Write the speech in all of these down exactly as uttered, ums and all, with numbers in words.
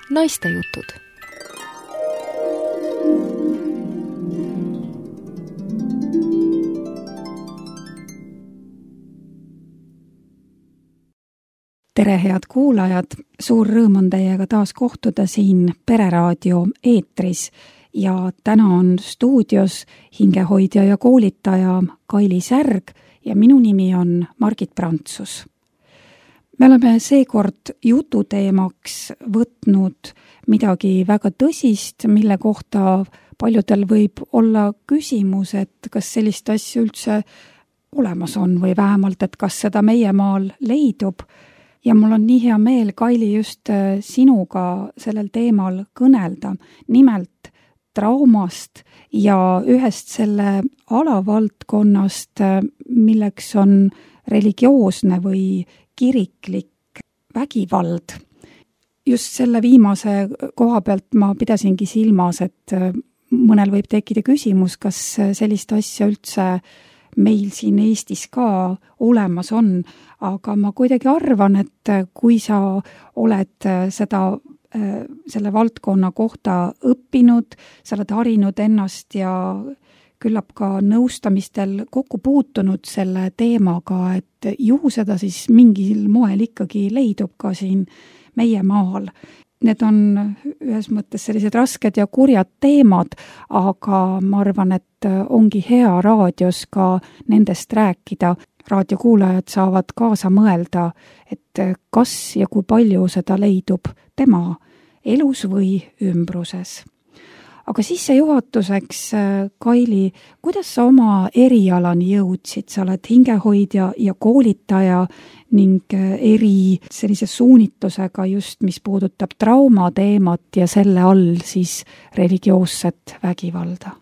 Naistejutud. Tere, head kuulajad! Suur rõõm on teiega taas kohtuda siin Pereraadio eetris ja täna on stuudios hingehoidja ja koolitaja Kaili Särg ja minu nimi on Margit Prantsus. Me oleme seekord jututeemaks võtnud midagi väga tõsist, mille kohta paljudel võib olla küsimus, et kas sellist asja üldse olemas on või vähemalt, et kas seda meie maal leidub. Ja mul on nii hea meel, Kaili, just sinuga sellel teemal kõnelda, nimelt traumast ja ühest selle alavaldkonnast, milleks on religioosne või kiriklik vägivald. Just selle viimase koha pealt ma pidasingi silmas, et mõnel võib tekkida küsimus, kas sellist asja üldse meil siin Eestis ka olemas on, aga ma kuidagi arvan, et kui sa oled seda, selle valdkonna kohta õppinud, sa oled harinud ennast ja küllap ka nõustamistel kokku puutunud selle teemaga, et ju seda siis mingil moel ikkagi leidub ka siin meie maal. Need on ühes mõttes sellised rasked ja kurjad teemad, aga ma arvan, et ongi hea raadios ka nendest rääkida. Raadiokuulajad saavad kaasa mõelda, et kas ja kui palju seda leidub tema elus või ümbruses. Aga sissejuhatuseks, Kaili, kuidas sa oma erialani jõudsid? Sa oled hingehoidja ja koolitaja ning eri sellise suunitlusega just, mis puudutab traumateemat ja selle all siis religioosset vägivalda.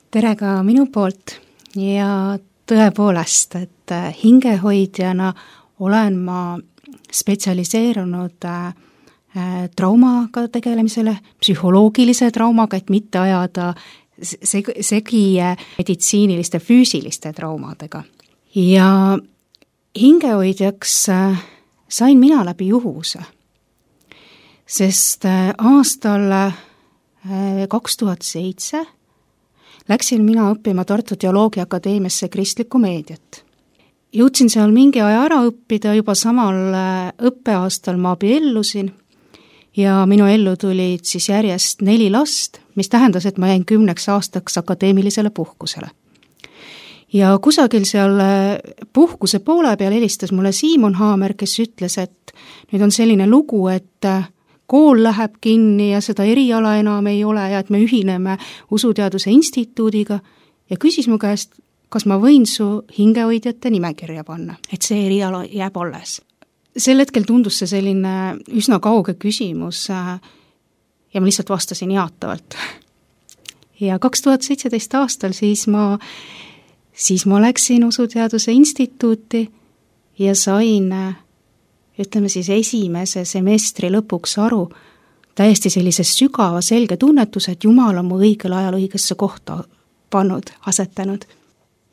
Tere ka minu poolt ja tõepoolest, et hingehoidjana olen ma spetsialiseerunud traumaga tegelemisele, psühholoogilise traumaga, et mitte ajada segi meditsiiniliste füüsiliste traumadega. Ja hingehoidjaks sain mina läbi juhuse, sest aastal kaks tuhat seitse läksin mina õppima Tartu Teoloogia Akadeemiasse kristlikku meediat. Jõudsin seal mingi aja ära õppida, juba samal õppeaastal ma abiellusin ja minu ellu tulid siis järjest neli last, mis tähendas, et ma jäin kümneks aastaks akadeemilisele puhkusele. Ja kusagil seal puhkuse poole peal helistas mulle Siimon Haamer, kes ütles, et nüüd on selline lugu, et kool läheb kinni ja seda eriala enam ei ole ja et me ühineme Usuteaduse instituudiga ja küsis mu käest, kas ma võin su hingehoidjate nimekirja panna, et see eriala jääb alles. Sel hetkel tundus see selline üsna kauge küsimus ja ma lihtsalt vastasin jaatavalt. Ja kaks tuhat seitseteist aastal siis ma, siis ma läksin Usuteaduse instituuti ja sain, ütleme siis esimese semestri lõpuks aru täiesti sellise sügava selge tunnetuse, et Jumal on mu õigel ajal õigesse kohta pannud, asetanud.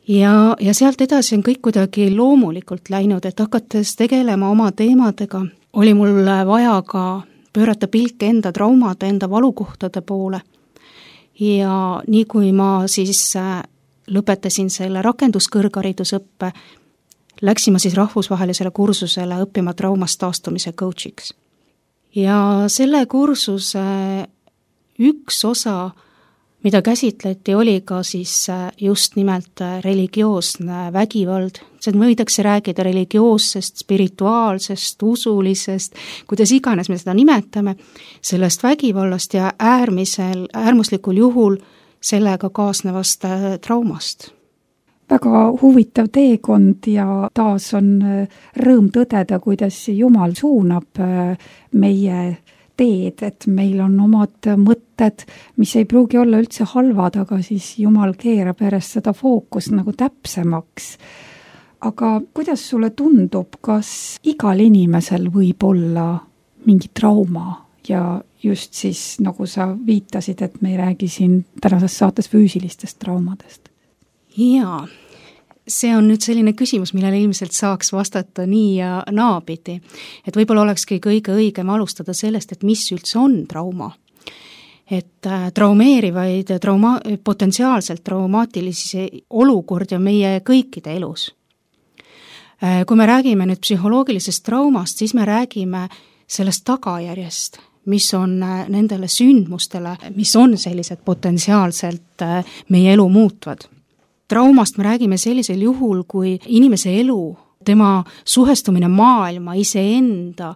Ja, ja sealt edasi on kõik kuidagi loomulikult läinud, et hakates tegelema oma teemadega, oli mul vaja ka pöörata pilk enda traumade, enda valukohtade poole. Ja nii kui ma siis lõpetasin selle rakenduskõrgharidusõppe, läksin ma siis rahvusvahelisele kursusele õppima traumast taastumise coachiks. Ja selle kursuse üks osa, mida käsitleti, oli ka siis just nimelt religioosne vägivald. See võidakse rääkida religioossest, spirituaalsest, usulisest, kuidas iganes me seda nimetame, sellest vägivallast ja äärmisel, äärmuslikul juhul sellega kaasnevast traumast. Väga huvitav teekond ja taas on rõõm tõdeda, kuidas Jumal suunab meie teed, et meil on omad mõtted, mis ei pruugi olla üldse halvad, aga siis Jumal keerab järjest seda fookust nagu täpsemaks. Aga kuidas sulle tundub, kas igal inimesel võib olla mingi trauma ja just siis, nagu sa viitasid, et me ei räägi siin tänases saates füüsilistest traumadest? Jaa, see on nüüd selline küsimus, millele ilmselt saaks vastata nii ja naapidi. Et võib-olla olekski kõige õigem alustada sellest, et mis üldse on trauma. Et traumeerivaid, trauma, potentsiaalselt traumaatilisi olukordi on meie kõikide elus. Kui me räägime nüüd psühholoogilisest traumast, siis me räägime sellest tagajärjest, mis on nendele sündmustele, mis on sellised potentsiaalselt meie elu muutvad. Traumast me räägime sellisel juhul, kui inimese elu, tema suhestumine maailma, iseenda,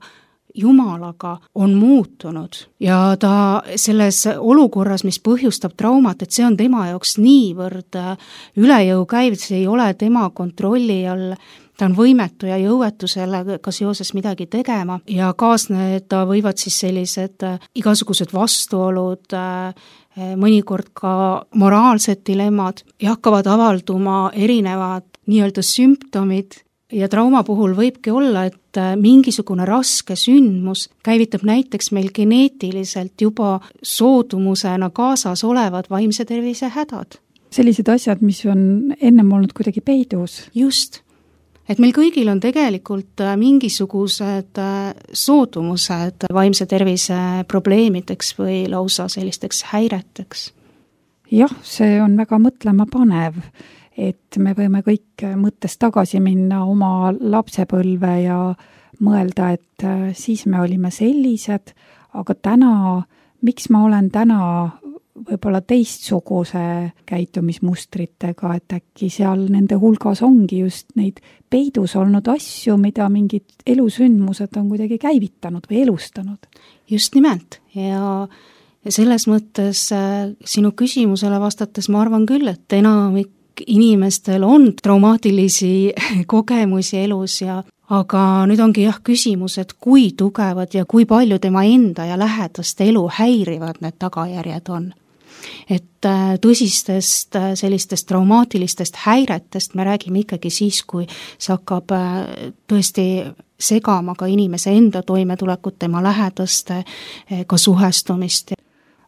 Jumalaga on muutunud ja ta selles olukorras, mis põhjustab traumat, et see on tema jaoks niivõrd üle jõu käiv, see ei ole tema kontrolli all, ta on võimetu ja jõuetu sellega seoses midagi tegema ja kaasneda võivad siis sellised igasugused vastuolud, mõnikord ka moraalsed dilemmad ja hakkavad avalduma erinevad nii-öelda sümptomid ja trauma puhul võibki olla, et mingisugune raske sündmus käivitab näiteks meil geneetiliselt juba soodumusena kaasas olevad vaimse tervise hädad. Sellised asjad, mis on ennem olnud kuidagi peidus. Just. Et meil kõigil on tegelikult mingisugused soodumused vaimse tervise probleemideks või lausa sellisteks häireteks. Jah, see on väga mõtlema panev, et me võime kõik mõttes tagasi minna oma lapsepõlve ja mõelda, et siis me olime sellised, aga täna, miks ma olen täna võib-olla teistsuguse käitumismustritega, et äkki seal nende hulgas ongi just neid peidus olnud asju, mida mingid elusündmused on kuidagi käivitanud või elustanud. Just nimelt ja selles mõttes sinu küsimusele vastates ma arvan küll, et enamik inimestel on traumaatilisi kogemusi elus ja aga nüüd ongi jah küsimus, et kui tugevad ja kui palju tema enda ja lähedaste elu häirivad need tagajärjed on. Et tõsistest sellistest traumaatilistest häiretest me räägime ikkagi siis, kui see hakkab tõesti segama ka inimese enda toimetulekut, tema lähedaste, ka suhestumist.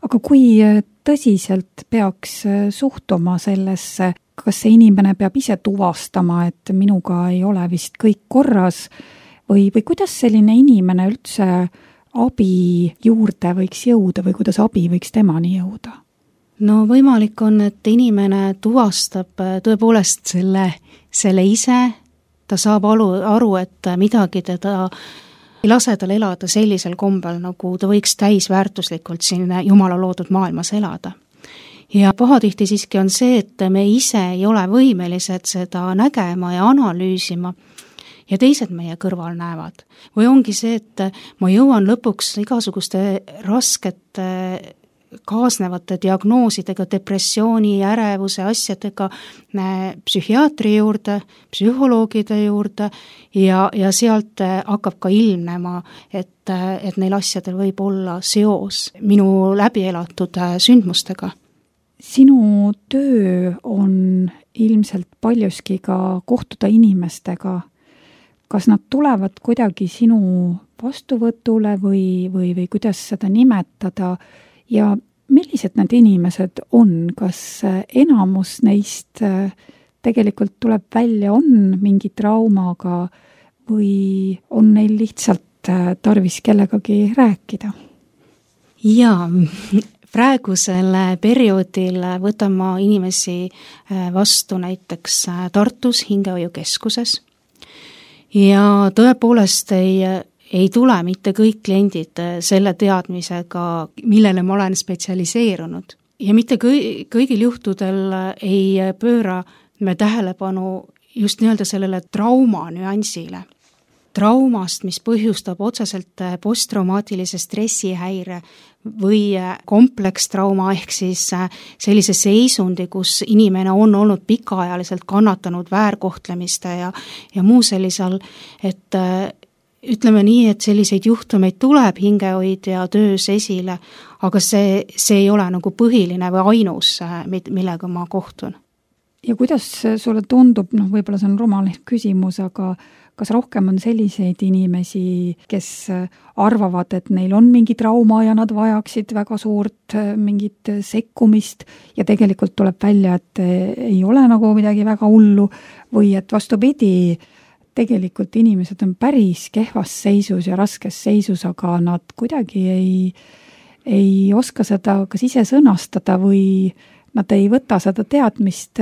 Aga kui tõsiselt peaks suhtuma sellesse, kas see inimene peab ise tuvastama, et minuga ei ole vist kõik korras või, või kuidas selline inimene üldse abi juurde võiks jõuda või kuidas abi võiks temani jõuda? No võimalik on, et inimene tuvastab tõepoolest selle, selle ise, ta saab aru, aru, et midagi teda ei lase tal elada sellisel kombel, nagu ta võiks täisväärtuslikult siin Jumala loodud maailmas elada. Ja pahatihti siiski on see, et me ise ei ole võimelised seda nägema ja analüüsima ja teised meie kõrval näevad. Või ongi see, et ma jõuan lõpuks igasuguste raskete kaasnevate diagnoosidega, depressiooni, ärevuse asjadega psühhiaatri juurde, psühholoogide juurde ja, ja sealt hakkab ka ilmnema, et, et neil asjadel võib olla seos minu läbielatud sündmustega. Sinu töö on ilmselt paljuski ka kohtuda inimestega. Kas nad tulevad kuidagi sinu vastuvõtule või, või, või kuidas seda nimetada ja millised need inimesed on? Kas enamus neist tegelikult tuleb välja, on mingi traumaga või on neil lihtsalt tarvis kellegagi rääkida? Jaa, praegusel perioodil võtan ma inimesi vastu näiteks Tartus hingehoiukeskuses ja tõepoolest ei ei tule mitte kõik kliendid selle teadmisega, millele ma olen spetsialiseerunud. Ja mitte kõi, kõigil juhtudel ei pööra me tähelepanu just nii-öelda sellele trauma nüansile. Traumast, mis põhjustab otseselt posttraumaatilise stressihäire või komplekstrauma ehk siis sellise seisundi, kus inimene on olnud pikaajaliselt kannatanud väärkohtlemiste ja, ja muu sellisel, et ütleme nii, et selliseid juhtumeid tuleb hingehoidja töös esile, aga see, see ei ole nagu põhiline või ainus, millega ma kohtun. ja kuidas sulle tundub, noh, võib-olla see on rumal küsimus, aga kas rohkem on selliseid inimesi, kes arvavad, et neil on mingi trauma ja nad vajaksid väga suurt mingit sekkumist ja tegelikult tuleb välja, et ei ole nagu midagi väga hullu või et vastupidi, tegelikult inimesed on päris kehvas seisus ja raskes seisus, aga nad kuidagi ei, ei oska seda kas ise sõnastada või nad ei võta seda teadmist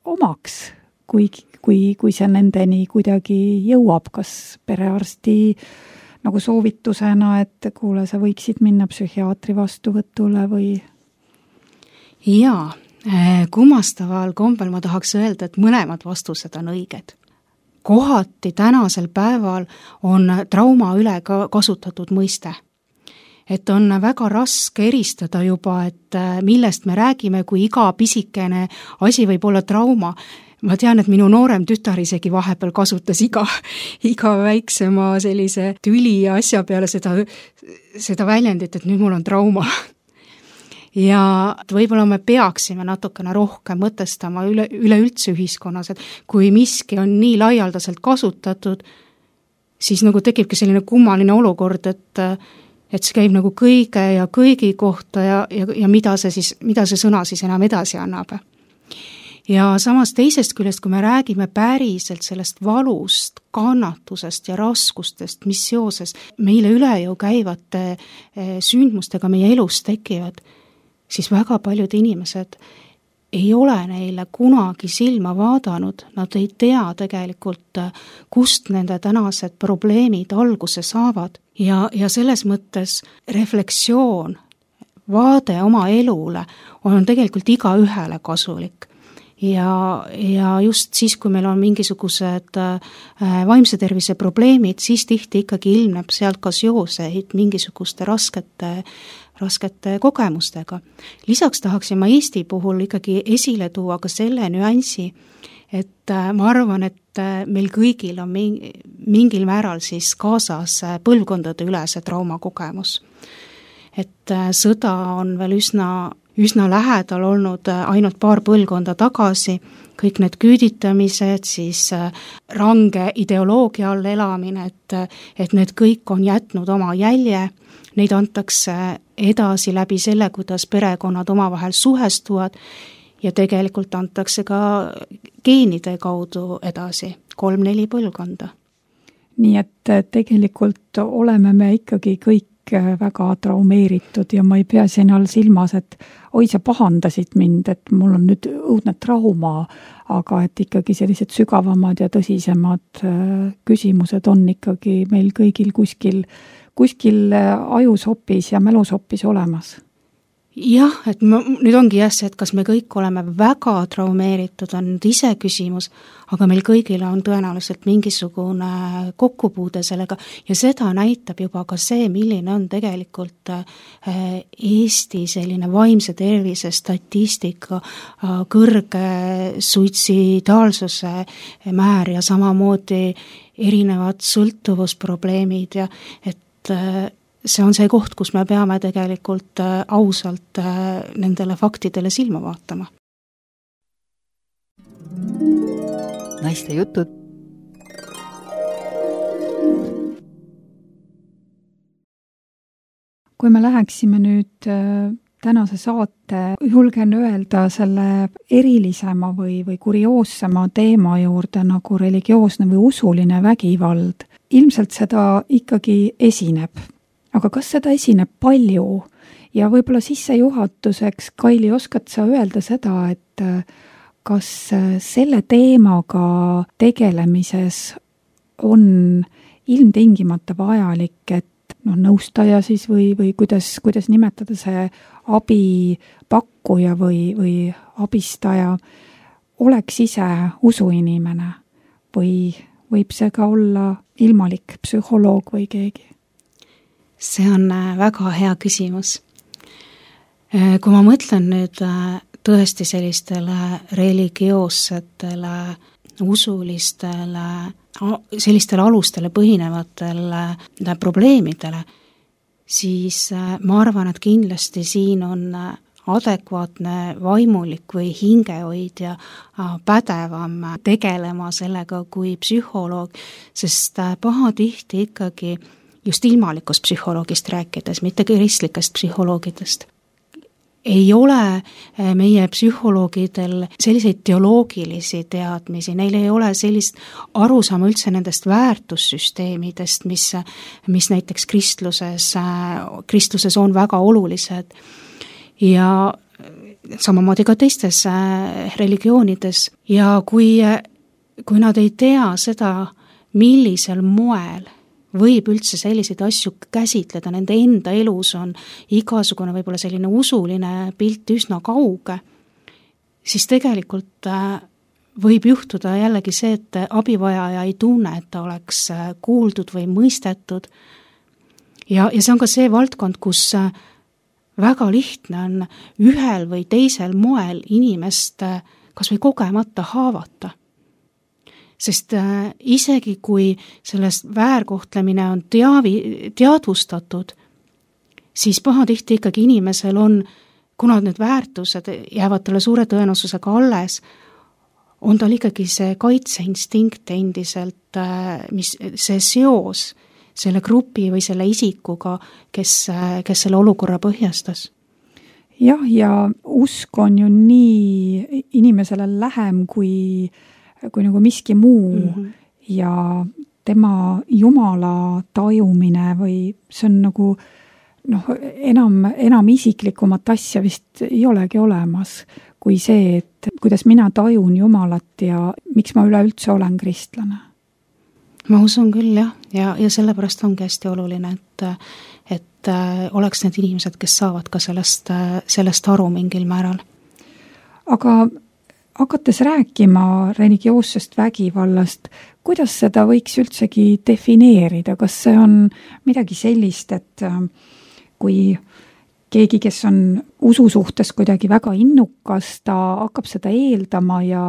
omaks, kui, kui, kui see nendeni kuidagi jõuab, kas perearsti nagu soovitusena, et kuule, sa võiksid minna psühhiaatri vastuvõtule või? Jaa, kummastaval kombel ma tahaks öelda, et mõlemad vastused on õiged. Kohati tänasel päeval on trauma üle ka kasutatud mõiste. Et on väga raske eristada juba, et millest me räägime, kui iga pisikene asi võib olla trauma. Ma tean, et minu noorem tütar isegi vahepeal kasutas iga, iga väiksema sellise tüli ja asja peale seda, seda väljendit, et nüüd mul on trauma. Ja võib-olla me peaksime natukene rohkem mõtestama üle, üleüldse ühiskonnas, et kui miski on nii laialdaselt kasutatud, siis nagu tekibki selline kummaline olukord, et et see käib nagu kõige ja kõigi kohta ja, ja, ja mida see siis, mida see sõna siis enam edasi annab. Ja samas teisest küljest, kui me räägime päriselt sellest valust, kannatusest ja raskustest, mis seoses meile üle ju käivate sündmustega meie elus tekivad, siis väga paljud inimesed ei ole neile kunagi silma vaadanud, nad ei tea tegelikult, kust nende tänased probleemid alguse saavad. Ja, ja selles mõttes reflektsioon, vaade oma elule on tegelikult iga ühele kasulik. Ja, ja just siis, kui meil on mingisugused vaimse tervise probleemid, siis tihti ikkagi ilmneb sealt ka seoseid mingisuguste raskete, raskete kogemustega. Lisaks tahaksin ma Eesti puhul ikkagi esile tuua ka selle nüansi, et ma arvan, et meil kõigil on mingil määral siis kaasas põlvkondade ülese traumakogemus. Et sõda on veel üsna, üsna lähedal olnud ainult paar põlvkonda tagasi, kõik need küüditamised, siis range ideoloogia all elamine, et, et need kõik on jätnud oma jälje, neid antakse edasi läbi selle, kuidas perekonnad omavahel suhestuvad, ja tegelikult antakse ka geenide kaudu edasi, kolm-neli põlvkonda. Nii et tegelikult oleme me ikkagi kõik väga traumeeritud ja ma ei pea siin all silmas, et oi, sa pahandasid mind, et mul on nüüd õudne trauma, aga et ikkagi sellised sügavamad ja tõsisemad küsimused on ikkagi meil kõigil kuskil, kuskil ajusopis ja mälusopis olemas. Jah, et ma, nüüd ongi jah see, et kas me kõik oleme väga traumeeritud, on nüüd ise küsimus, aga meil kõigil on tõenäoliselt mingisugune kokkupuude sellega ja seda näitab juba ka see, milline on tegelikult Eesti selline vaimse tervise statistika, kõrge suitsidaalsuse määr ja samamoodi erinevad sõltuvusprobleemid ja et see on see koht, kus me peame tegelikult ausalt nendele faktidele silma vaatama. Naiste jutud. Kui me läheksime nüüd tänase saate, julgen öelda selle erilisema või, või kurioossema teema juurde nagu religioosne või usuline vägivald, ilmselt seda ikkagi esineb. Aga kas seda esineb palju ja võib-olla sissejuhatuseks, Kaili, oskad sa öelda seda, et kas selle teemaga tegelemises on ilmtingimata vajalik, et noh, nõustaja siis või, või kuidas, kuidas nimetada see abipakkuja või, või abistaja oleks ise usuinimene või võib see ka olla ilmalik psühholoog või keegi? See on väga hea küsimus. Kui ma mõtlen nüüd tõesti sellistele religioossetele, usulistele, sellistele alustele põhinevatele probleemidele, siis ma arvan, et kindlasti siin on adekvaatne vaimulik või hingehoidja pädevam tegelema sellega kui psühholoog, sest pahatihti ikkagi just ilmalikust psühholoogist rääkides, mitte kristlikest psühholoogidest, ei ole meie psühholoogidel selliseid teoloogilisi teadmisi, neil ei ole sellist arusaama üldse nendest väärtussüsteemidest, mis, mis näiteks kristluses, kristluses on väga olulised ja samamoodi ka teistes religioonides. Ja kui, kui nad ei tea seda, millisel moel võib üldse selliseid asju käsitleda, nende enda elus on igasugune võib-olla selline usuline pilt üsna kauge, siis tegelikult võib juhtuda jällegi see, et abivajaja ei tunne, et ta oleks kuuldud või mõistetud. Ja, ja see on ka see valdkond, kus väga lihtne on ühel või teisel moel inimest kas või kogemata haavata. Sest äh, isegi kui sellest väärkohtlemine on teavi, teadvustatud, siis pahatihti ikkagi inimesel on, kuna need väärtused jäävad talle suure tõenäosusega alles, on tal ikkagi see kaitseinstinkt endiselt, äh, mis, see seos selle grupi või selle isikuga, kes, äh, kes selle olukorra põhjastas. Jah, ja usk on ju nii inimesele lähem kui kui nagu miski muu mm-hmm. ja tema Jumala tajumine või see on nagu noh, enam, enam isiklikumat asja vist ei olegi olemas kui see, et kuidas mina tajun Jumalat ja miks ma üleüldse olen kristlane. Ma usun küll jah, ja, ja sellepärast ongi hästi oluline, et, et oleks need inimesed, kes saavad ka sellest, sellest aru mingil määral. Aga hakates rääkima religioossest vägivallast, kuidas seda võiks üldsegi defineerida? Kas see on midagi sellist, et kui keegi, kes on usu suhtes kuidagi väga innukas, ta hakkab seda eeldama ja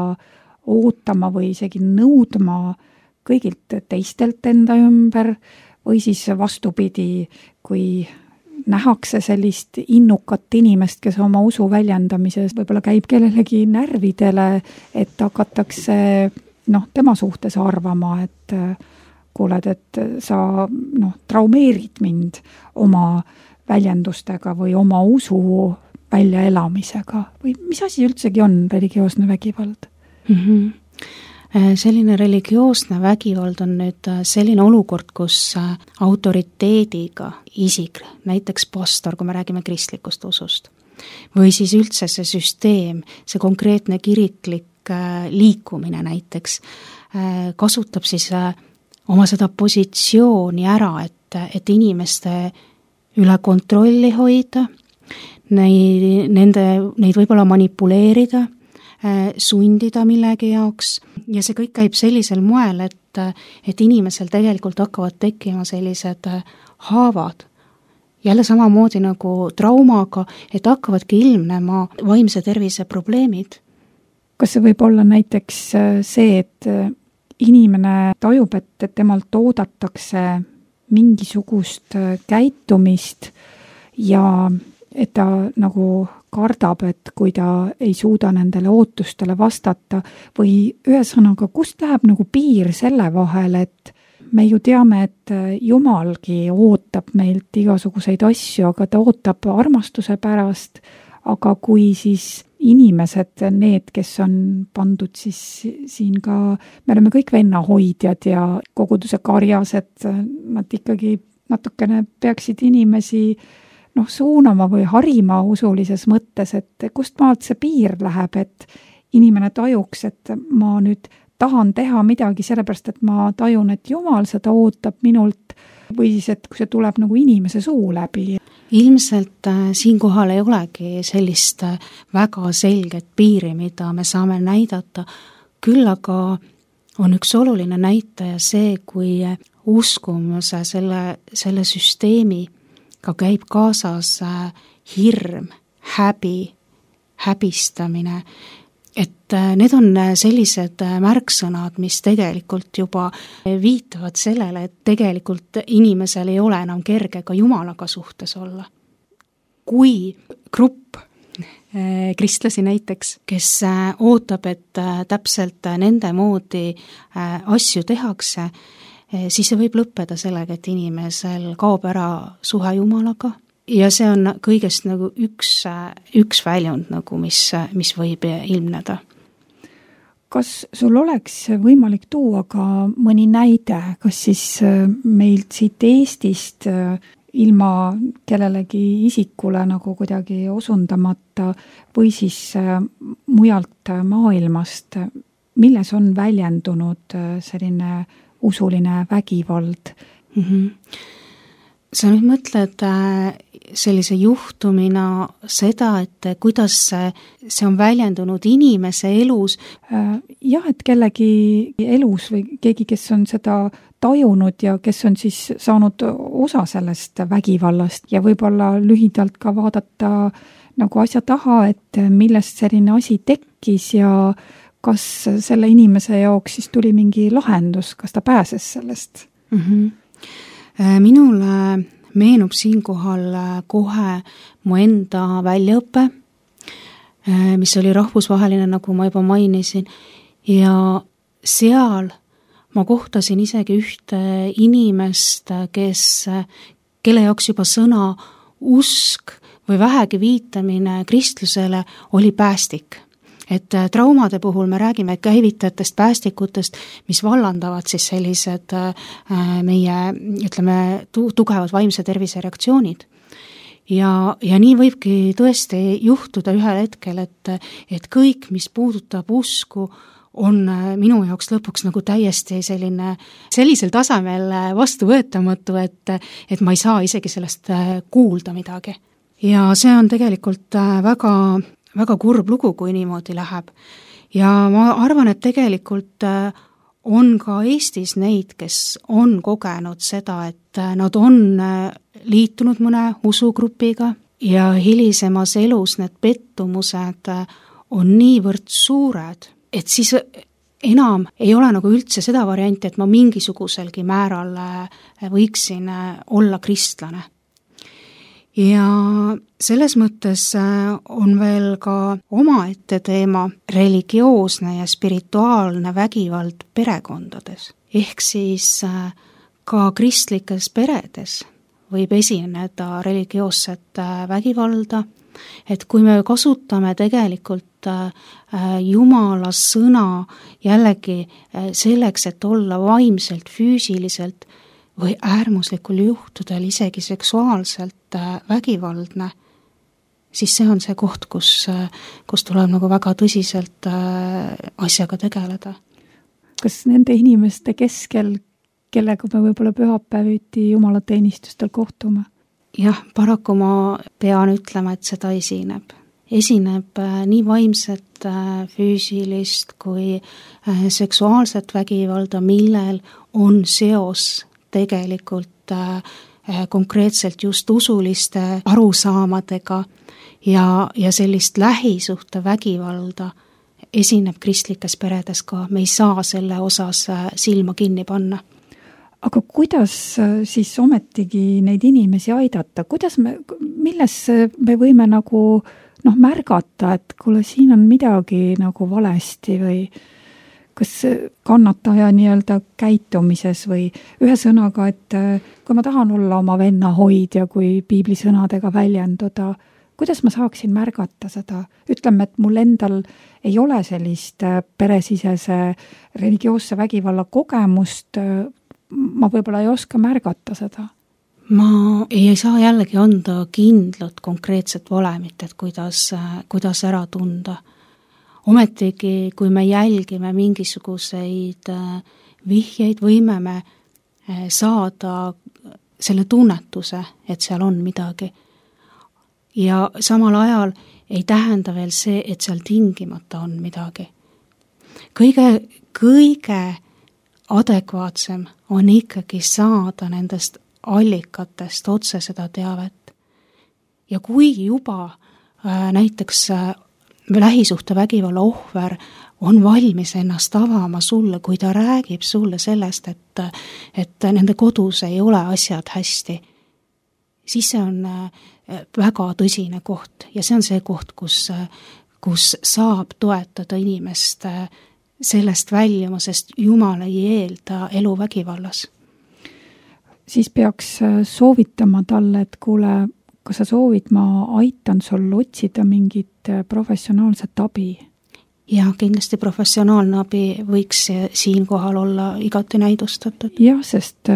ootama või isegi nõudma kõigilt teistelt enda ümber või siis vastupidi, kui nähakse sellist innukat inimest, kes oma usu väljendamises võib-olla käib kellelegi närvidele, et hakatakse noh, tema suhtes arvama, et kuuled, et sa noh, traumeerid mind oma väljendustega või oma usu väljaelamisega või mis asi üldsegi on religioosne vägivald? Mm-hmm. Selline religioosne vägivald on nüüd selline olukord, kus autoriteediga isik, näiteks pastor, kui me räägime kristlikust usust, või siis üldse see süsteem, see konkreetne kiriklik liikumine näiteks, kasutab siis oma seda positsiooni ära, et, et inimeste üle kontrolli hoida, neid, nende, neid võib-olla manipuleerida, sundida millegi jaoks ja see kõik käib sellisel moel, et, et inimesel tegelikult hakkavad tekkima sellised haavad, jälle samamoodi nagu traumaga, et hakkavadki ilmnema vaimse tervise probleemid. Kas see võib olla näiteks see, et inimene tajub, et temalt oodatakse mingisugust käitumist ja et ta nagu kardab, et kui ta ei suuda nendele ootustele vastata või ühesõnaga, kust läheb nagu piir selle vahel, et me ju teame, et Jumalgi ootab meilt igasuguseid asju, aga ta ootab armastuse pärast, aga kui siis inimesed, need, kes on pandud siis siin ka, me oleme kõik vennahoidjad ja koguduse karjas, et nad ikkagi natukene peaksid inimesi noh, suunama või harima usulises mõttes, et kust maalt see piir läheb, et inimene tajuks, et ma nüüd tahan teha midagi sellepärast, et ma tajun, et Jumal seda ootab minult või siis, et kui see tuleb nagu inimese suu läbi. Ilmselt äh, siinkohal ei olegi sellist äh, väga selget piiri, mida me saame näidata, küll aga on üks oluline näitaja see, kui uskumuse selle, selle süsteemi ka käib kaasas hirm, häbi, häbistamine, et need on sellised märksõnad, mis tegelikult juba viitavad sellele, et tegelikult inimesel ei ole enam kerge ka Jumalaga suhtes olla. Kui grupp kristlasi näiteks, kes ootab, et täpselt nende moodi asju tehakse, siis see võib lõppeda sellega, et inimesel kaob ära suhe Jumalaga ja see on kõigest nagu üks, üks väljund, nagu mis, mis võib ilmneda. Kas sul oleks võimalik tuua ka mõni näide, kas siis meilt siit Eestist ilma kellelegi isikule nagu kuidagi osundamata või siis mujalt maailmast, milles on väljendunud selline usuline vägivald? Mm-hmm. Sa nüüd mõtled sellise juhtumina seda, et kuidas see on väljendunud inimese elus? Jah, et kellegi elus või keegi, kes on seda tajunud ja kes on siis saanud osa sellest vägivallast ja võib-olla lühidalt ka vaadata nagu asja taha, et millest selline asi tekkis ja kas selle inimese jaoks siis tuli mingi lahendus, kas ta pääses sellest? Mm-hmm. Minule meenub siinkohal kohe mu enda väljaõpe, mis oli rahvusvaheline, nagu ma juba mainisin, ja seal ma kohtasin isegi ühte inimest, kes, kelle jaoks juba sõna usk või vähegi viitamine kristlusele oli päästik. Et traumade puhul me räägime käivitajatest, päästikutest, mis vallandavad siis sellised meie, ütleme, tugevad vaimse tervise reaktsioonid. Ja, ja nii võibki tõesti juhtuda ühel hetkel, et, et kõik, mis puudutab usku, on minu jaoks lõpuks nagu täiesti selline, sellisel tasemel vastuvõetamatu, et, et ma ei saa isegi sellest kuulda midagi. Ja see on tegelikult väga, väga kurb lugu, kui niimoodi läheb. Ja ma arvan, et tegelikult on ka Eestis neid, kes on kogenud seda, et nad on liitunud mõne usugrupiga ja hilisemas elus need pettumused on niivõrd suured, et siis enam ei ole nagu üldse seda varianti, et ma mingisuguselgi määral võiksin olla kristlane. Ja selles mõttes on veel ka omaette teema religioosne ja spirituaalne vägivald perekondades. Ehk siis ka kristlikes peredes võib esineda religioosset vägivalda, et kui me kasutame tegelikult Jumala sõna jällegi selleks, et olla vaimselt, füüsiliselt või äärmuslikul juhtudel isegi seksuaalselt vägivaldne, siis see on see koht, kus, kus tuleb nagu väga tõsiselt asjaga tegeleda. Kas nende inimeste keskel, kellega me võib-olla pühapäeviti jumalateenistustel kohtume? Jah, paraku ma pean ütlema, et seda esineb. Esineb nii vaimset, füüsilist kui seksuaalset vägivalda, millel on seos tegelikult konkreetselt just usuliste arusaamadega ja, ja sellist lähisuhte vägivalda esineb kristlikes peredes ka. Me ei saa selle osas silma kinni panna. Aga kuidas siis ometigi neid inimesi aidata? Kuidas me, milles me võime nagu noh, märgata, et kuule, siin on midagi nagu valesti või kas kannataja nii-öelda käitumises või ühe sõnaga, et kui ma tahan olla oma venna hoidja, kui piiblisõnadega väljenduda, kuidas ma saaksin märgata seda? Ütleme, et mul endal ei ole sellist peresisese religioosse vägivalla kogemust, ma võib-olla ei oska märgata seda. Ma ei saa jällegi anda kindlat konkreetset valemit, et kuidas, kuidas ära tunda. Ometigi, kui me jälgime mingisuguseid vihjeid, võime me saada selle tunnetuse, et seal on midagi. Ja samal ajal ei tähenda veel see, et seal tingimata on midagi. Kõige, kõige adekvaatsem on ikkagi saada nendest allikatest otse seda teavet. Ja kui juba äh, näiteks äh, lähisuhte vägivalla ohver on valmis ennast avama sulle, kui ta räägib sulle sellest, et, et nende kodus ei ole asjad hästi, siis see on väga tõsine koht ja see on see koht, kus, kus saab toetada inimest sellest väljuma, sest Jumal ei eelda elu vägivallas. Siis peaks soovitama talle, et kuule, kas sa soovid, ma aitan sul otsida mingit professionaalset abi? Ja kindlasti professionaalne abi võiks siinkohal olla igati näidustatud. Jah, sest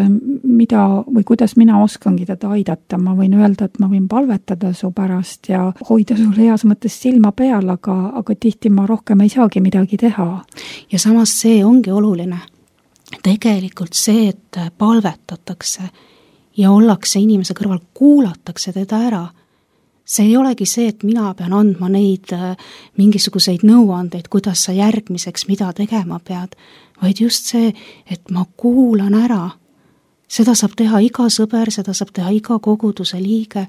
mida või kuidas mina oskangi teda aidata, ma võin öelda, et ma võin palvetada su pärast ja hoida sul heas mõttes silma peal, aga, aga tihti ma rohkem ei saagi midagi teha. Ja samas see ongi oluline. Tegelikult see, et palvetatakse ja ollakse inimese kõrval, kuulatakse teda ära. See ei olegi see, et mina pean andma neid mingisuguseid nõuandeid, kuidas sa järgmiseks mida tegema pead, vaid just see, et ma kuulan ära. Seda saab teha iga sõber, seda saab teha iga koguduse liige,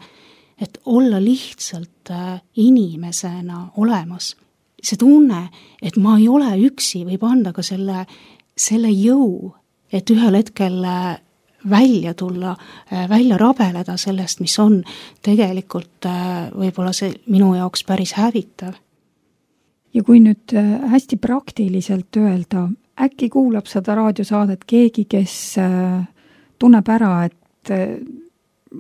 et olla lihtsalt inimesena olemas. See tunne, et ma ei ole üksi, võib anda ka selle, selle jõu, et ühel hetkel välja tulla, välja rabeleda sellest, mis on tegelikult võib-olla see minu jaoks päris hävitav. Ja kui nüüd hästi praktiliselt öelda, äkki kuulab seda raadiosaadet keegi, kes tunneb ära, et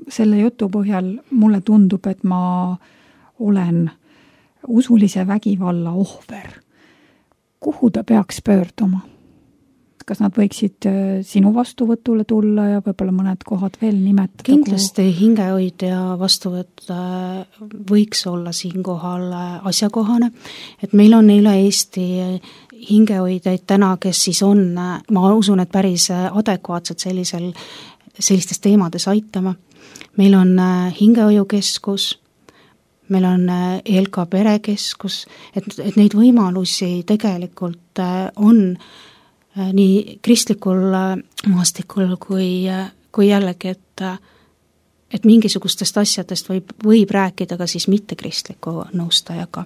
selle jutu põhjal mulle tundub, et ma olen usulise vägivalla ohver. Kuhu ta peaks pöörduma? Kas nad võiksid sinu vastuvõtule tulla ja võib-olla mõned kohad veel nimetada? Kindlasti hingehoidja vastuvõtt võiks olla siinkohal asjakohane, et meil on üle Eesti hingehoidjaid täna, kes siis on, ma usun, et päris adekvaatsed sellisel, sellistes teemades aitama. Meil on hingehoiukeskus, meil on E L K perekeskus, et, et neid võimalusi tegelikult on nii kristlikul maastikul kui, kui jällegi, et, et mingisugustest asjadest võib, võib rääkida ka siis mitte kristliku nõustajaga.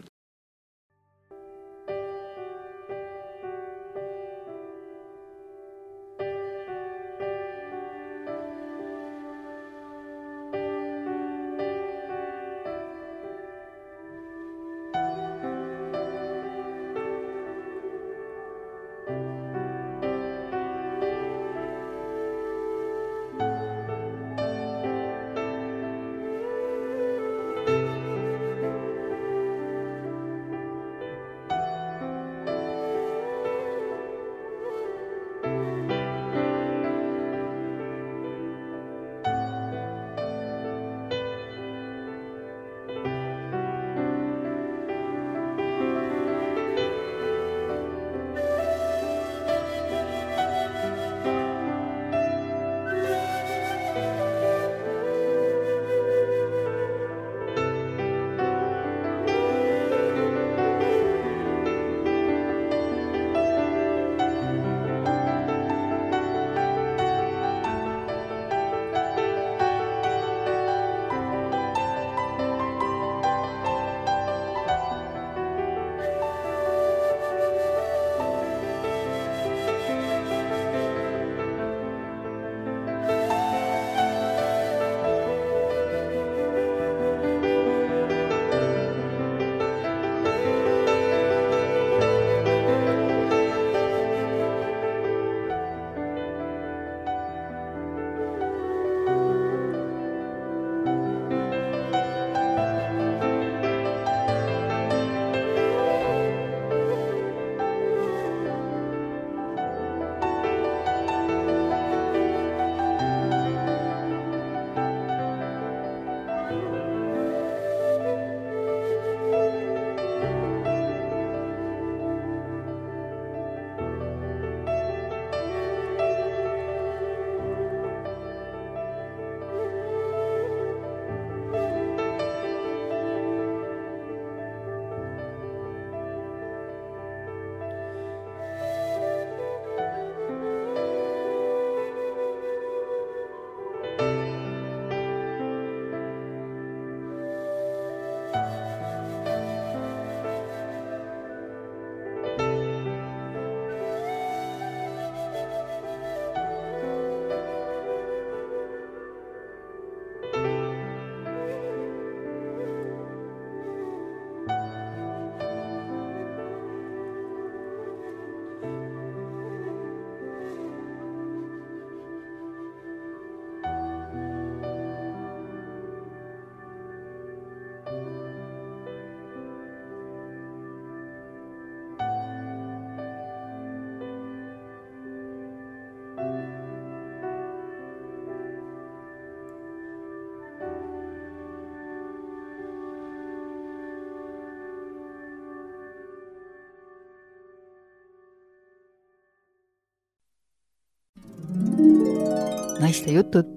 naiste jutud.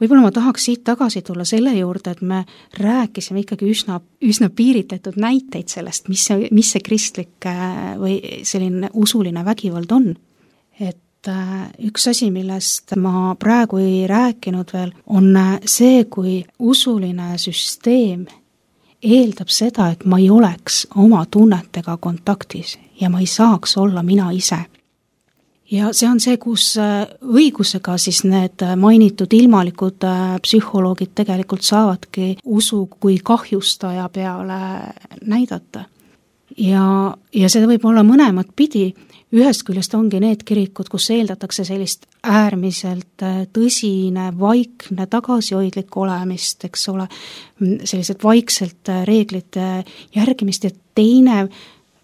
Võib-olla ma tahaks siit tagasi tulla selle juurde, et me rääkisime ikkagi üsna, üsna piiritletud näiteid sellest, mis see, mis see kristlik või selline usuline vägivald on. Et üks asi, millest ma praegu ei rääkinud veel, on see, kui usuline süsteem eeldab seda, et ma ei oleks oma tunnetega kontaktis ja ma ei saaks olla mina ise. Ja see on see, kus õigusega siis need mainitud ilmalikud psühholoogid tegelikult saavadki usu kui kahjustaja peale näidata. Ja, ja see võib olla mõlemat pidi. Ühest küljest ongi need kirikud, kus eeldatakse sellist äärmiselt tõsine, vaikne, tagasihoidlik olemist, eks ole, sellised vaikselt reeglite järgimist ja teine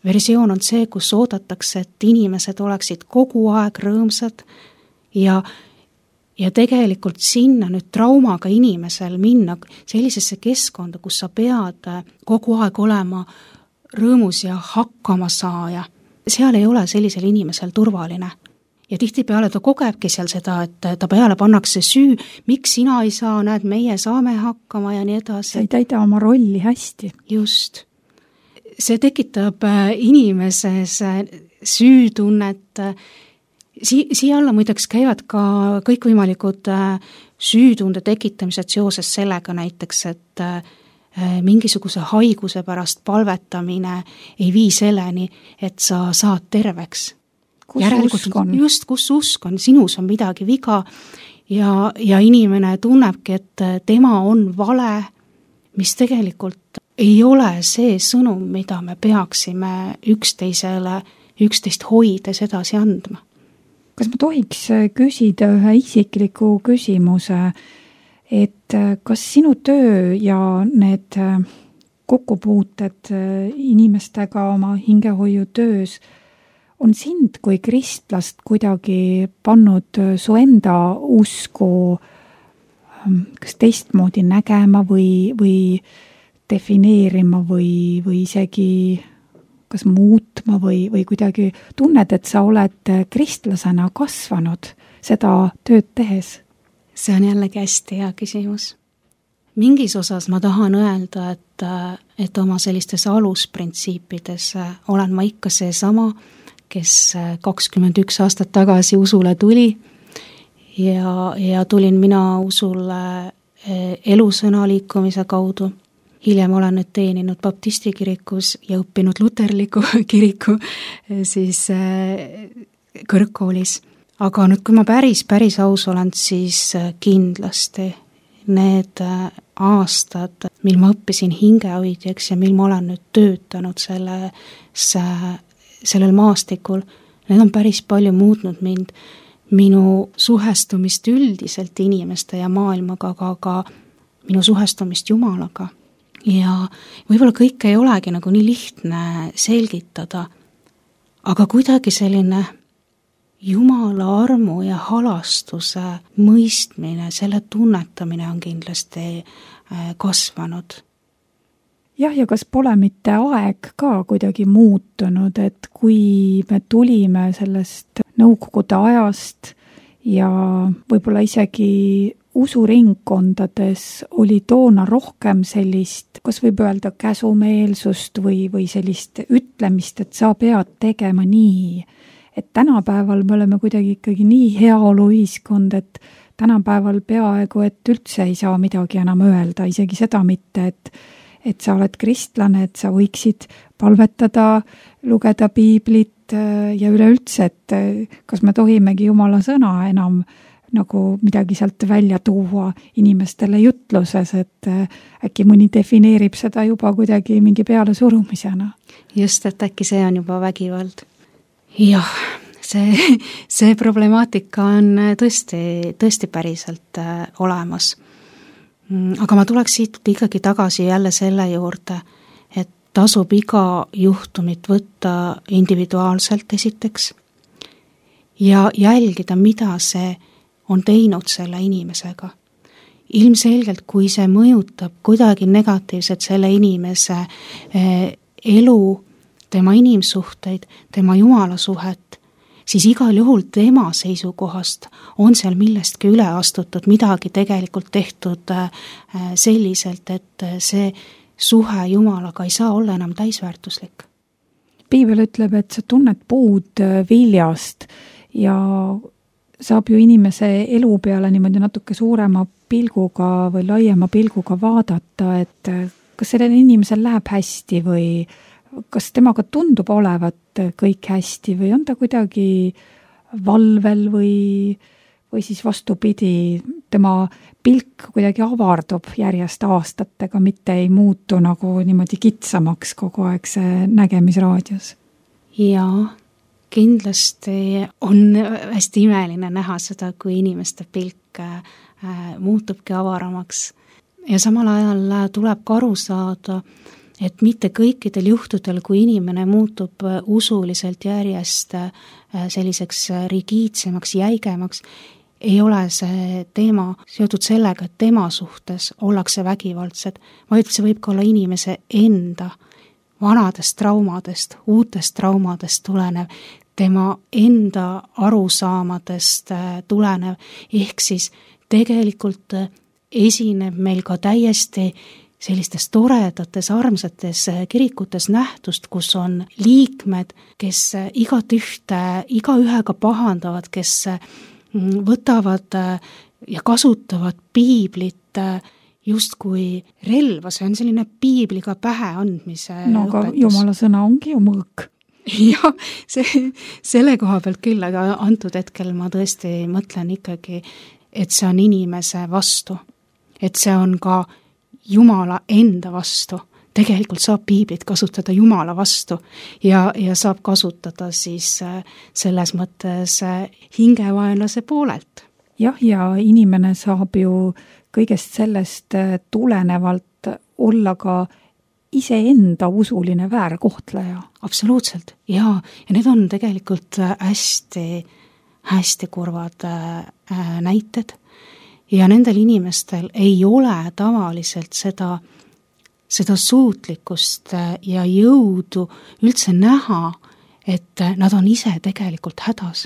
versioon on see, kus oodatakse, et inimesed oleksid kogu aeg rõõmsad ja, ja tegelikult sinna nüüd traumaga inimesel minna sellisesse keskkonda, kus sa pead kogu aeg olema rõõmus ja hakkama saaja. Seal ei ole sellisel inimesel turvaline. Ja tihtipeale ta kogebki seal seda, et ta peale pannakse süü, miks sina ei saa, näed, meie saame hakkama ja nii edasi. Sa ei täida oma rolli hästi. Just. See tekitab inimeses süütunnet. Si- siia alla muideks käivad ka kõikvõimalikud süütunde tekitamised seoses sellega näiteks, et mingisuguse haiguse pärast palvetamine ei vii selleni, et sa saad terveks. Kus usk on? Just, kus usk on, sinus on midagi viga ja, ja inimene tunnebki, et tema on vale, mis tegelikult ei ole see sõnum, mida me peaksime üksteisele, üksteist hoides edasi andma. Kas ma tohiks küsida ühe isikliku küsimuse, et kas sinu töö ja need kokkupuuted inimestega oma hingehoiutöös on sind kui kristlast kuidagi pannud su enda usku kas teistmoodi nägema või, või defineerima või, või isegi kas muutma või, või kuidagi tunned, et sa oled kristlasena kasvanud seda tööd tehes? See on jällegi hästi hea küsimus. Mingis osas ma tahan öelda, et, et oma sellistes alusprintsiipides olen ma ikka see sama, kes kakskümmend üks aastat tagasi usule tuli ja, ja tulin mina usule elusõna liikumise kaudu. Hiljem olen nüüd teeninud baptisti kirikus ja õppinud luterliku kiriku siis kõrgkoolis. Aga nüüd, kui ma päris, päris aus olen, siis kindlasti need aastad, mil ma õppisin hingehoidjaks ja mil ma olen nüüd töötanud selles, sellel maastikul, need on päris palju muutnud mind, minu suhestumist üldiselt inimeste ja maailmaga, aga ka minu suhestumist Jumalaga. Ja võib-olla kõike ei olegi nagu nii lihtne selgitada, aga kuidagi selline Jumala armu ja halastuse mõistmine, selle tunnetamine on kindlasti kasvanud. Jah, ja kas pole mitte aeg ka kuidagi muutunud, et kui me tulime sellest nõukogude ajast ja võib-olla isegi usuringkondades oli toona rohkem sellist, kas võib öelda käsumeelsust või, või sellist ütlemist, et sa pead tegema nii. Et tänapäeval me oleme kuidagi ikkagi nii heaolu ühiskond, et tänapäeval peaaegu, et üldse ei saa midagi enam öelda, isegi seda mitte, et, et sa oled kristlane, et sa võiksid palvetada, lugeda piiblit ja üleüldse, et kas me tohimegi Jumala sõna enam nagu midagi sealt välja tuua inimestele jutluses, et äkki mõni defineerib seda juba kuidagi mingi peale surumisena. Just, et äkki see on juba vägivald. Jah, see, see problemaatika on tõesti, tõesti päriselt olemas. Aga ma tuleks siit ikkagi tagasi jälle selle juurde, et tasub iga juhtumit võtta individuaalselt esiteks ja jälgida, mida see on teinud selle inimesega. Ilmselgelt, kui see mõjutab kuidagi negatiivselt selle inimese elu, tema inimsuhteid, tema jumalasuhet, siis igal juhul tema seisukohast on seal millestki üle astutud, midagi tegelikult tehtud selliselt, et see suhe Jumalaga ei saa olla enam täisväärtuslik. Piibel ütleb, et sa tunned puud viljast ja saab ju inimese elu peale niimoodi natuke suurema pilguga või laiema pilguga vaadata, et kas sellel inimesel läheb hästi või kas temaga tundub olevat kõik hästi või on ta kuidagi valvel või, või siis vastupidi, tema pilk kuidagi avardub järjest aastatega, mitte ei muutu nagu niimoodi kitsamaks kogu aeg see nägemisraadius. Jaa, kindlasti on hästi imeline näha seda, kui inimeste pilk äh, muutubki avaramaks. Ja samal ajal tuleb ka aru saada, et mitte kõikidel juhtudel, kui inimene muutub usuliselt järjest selliseks rigiidsemaks, jäigemaks, ei ole see teema seotud sellega, et tema suhtes ollakse vägivaldsed, vaid see võib ka olla inimese enda vanadest traumadest, uutest traumadest tulenev, tema enda arusaamadest tulenev, ehk siis tegelikult esineb meil ka täiesti sellistes toredates, armsates kirikutes nähtust, kus on liikmed, kes igat ühte, iga ühega pahandavad, kes võtavad ja kasutavad piiblit justkui relva, see on selline piibliga pähe andmise no aga õpetus. Jumala sõna ongi ju mõõk. Jah, see, selle koha pealt küll, aga antud hetkel ma tõesti mõtlen ikkagi, et see on inimese vastu, et see on ka Jumala enda vastu. Tegelikult saab piiblit kasutada Jumala vastu ja, ja saab kasutada siis selles mõttes hingevaenlase poolelt. Jah, ja inimene saab ju kõigest sellest tulenevalt olla ka iseenda usuline väärkohtleja. Absoluutselt, jaa. Ja need on tegelikult hästi, hästi kurvad näited. Ja nendel inimestel ei ole tavaliselt seda, seda suutlikkust ja jõudu üldse näha, et nad on ise tegelikult hädas.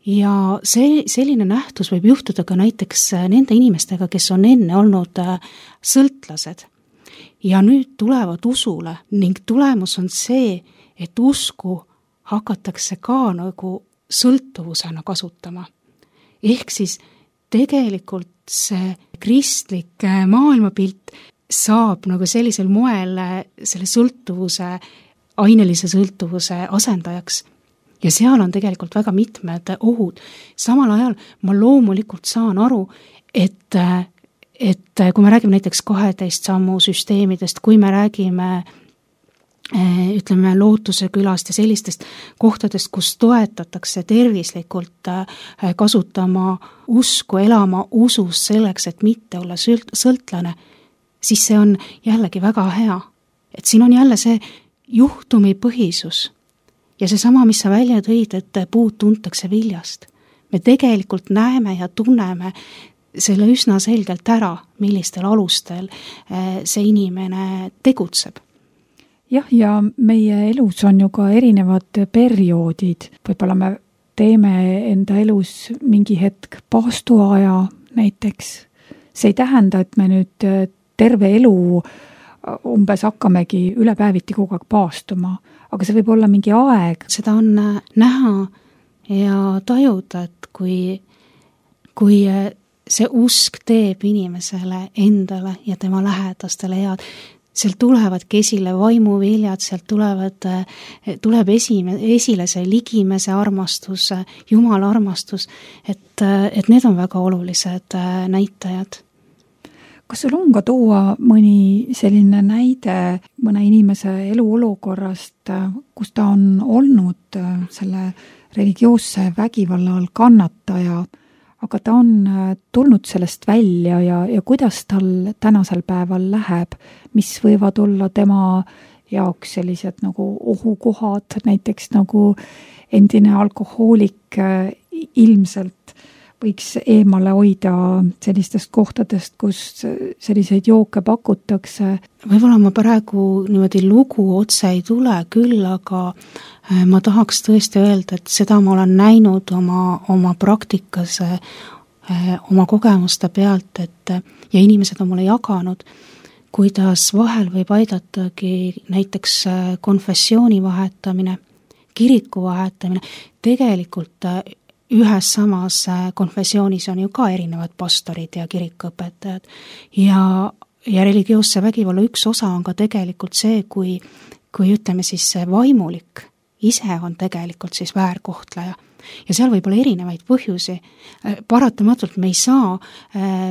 Ja see, selline nähtus võib juhtuda ka näiteks nende inimestega, kes on enne olnud sõltlased. Ja nüüd tulevad usule ning tulemus on see, et usku hakatakse ka nagu sõltuvusena kasutama. Ehk siis tegelikult see kristlik maailmapilt saab nagu sellisel moel selle sõltuvuse, ainelise sõltuvuse asendajaks. Ja seal on tegelikult väga mitmed ohud. Samal ajal ma loomulikult saan aru, et, et kui me räägime näiteks kaheteist sammu süsteemidest, kui me räägime ütleme lootuse külast ja sellistest kohtadest, kus toetatakse tervislikult kasutama usku, elama usus selleks, et mitte olla sõltlane, siis see on jällegi väga hea. Et siin on jälle see juhtumi põhisus ja see sama, mis sa välja tõid, et puud tuntakse viljast. Me tegelikult näeme ja tunneme selle üsna selgelt ära, millistel alustel see inimene tegutseb. Jah, ja meie elus on ju ka erinevad perioodid. Võib-olla me teeme enda elus mingi hetk paastuaja näiteks. See ei tähenda, et me nüüd terve elu umbes hakkamegi üle päeviti kogu aeg paastuma, aga see võib olla mingi aeg. Seda on näha ja tajuda, et kui, kui see usk teeb inimesele endale ja tema lähedastele head, sealt tulevadki esile vaimuviljad, sealt tulevad, tuleb esime, esile see ligimese armastus, Jumala armastus, et, et need on väga olulised näitajad. Kas sul on ka tuua mõni selline näide mõne inimese eluolukorrast, kus ta on olnud selle religioosse vägivalla all kannataja, aga ta on tulnud sellest välja ja, ja kuidas tal tänasel päeval läheb, mis võivad olla tema jaoks sellised nagu ohukohad, näiteks nagu endine alkohoolik ilmselt võiks eemale hoida sellistest kohtadest, kus selliseid jooke pakutakse? Võib-olla ma praegu niimoodi lugu otse ei tule küll, aga ma tahaks tõesti öelda, et seda ma olen näinud oma, oma praktikas, oma kogemuste pealt, et ja inimesed on mulle jaganud, kuidas vahel võib aidatagi näiteks konfessiooni vahetamine, kiriku vahetamine, tegelikult ühes samas konfessioonis on ju ka erinevad pastorid ja kirikuõpetajad ja, ja religioosse vägivalla üks osa on ka tegelikult see, kui, kui ütleme siis see vaimulik ise on tegelikult siis väärkohtleja ja seal võib olla erinevaid põhjusi. Paratamatult me ei saa